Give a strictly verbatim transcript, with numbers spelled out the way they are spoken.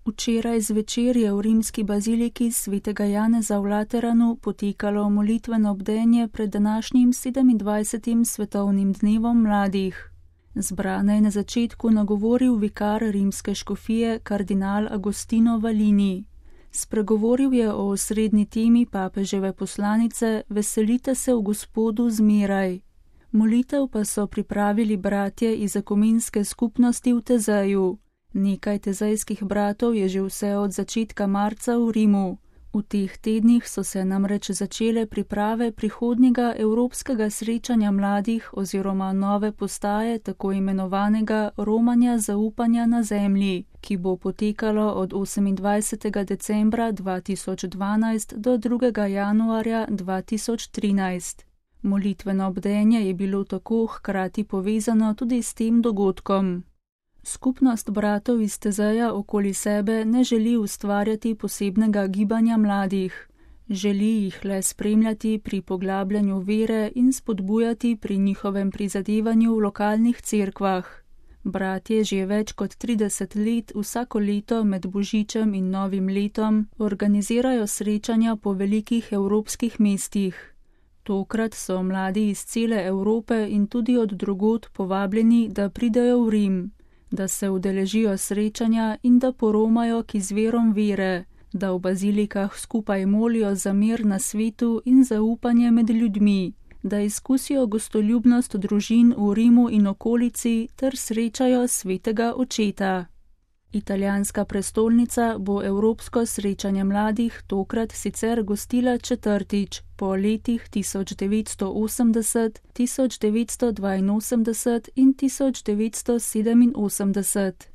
Včeraj zvečer je v rimski baziliki svetega Janeza v Lateranu potekalo molitveno bdenje pred današnjim sedemindvajsetim svetovnim dnevom mladih. Zbrane je na začetku nagovoril vikar rimske škofije kardinal Agostino Valini. Spregovoril je o osrednji temi papeževe poslanice Veselite se v Gospodu zmeraj. Molitev pa so pripravili bratje iz ekumenske skupnosti v Tezeju. Nekaj tezejskih bratov je že vse od začetka marca v Rimu. V teh tednih so se namreč začele priprave prihodnjega evropskega srečanja mladih oziroma nove postaje tako imenovanega romanja zaupanja na zemlji, ki bo potekalo od osemindvajsetega decembra dva tisoč dvanajst do drugega januarja dva tisoč trinajst. Molitveno bdenje je bilo tako hkrati povezano tudi s tem dogodkom. Skupnost bratov iz Tezeja okoli sebe ne želi ustvarjati posebnega gibanja mladih. Želi jih le spremljati pri poglabljanju vere in spodbujati pri njihovem prizadevanju v lokalnih cerkvah. Bratje že več kot trideset let vsako leto med Božičem in Novim letom organizirajo srečanja po velikih evropskih mestih. Tokrat so mladi iz cele Evrope in tudi od drugod povabljeni, da pridejo v Rim, da se udeležijo srečanja in da poromajo k izvirom vere, da v bazilikah skupaj molijo za mir na svetu in zaupanje med ljudmi, da izkusijo gostoljubnost družin v Rimu in okolici ter srečajo svetega očeta. Italijanska prestolnica bo evropsko srečanje mladih tokrat sicer gostila četrtič po letih tisoč devetsto osemdeset, tisoč devetsto dvainosemdeset in tisoč devetsto sedeminosemdeset.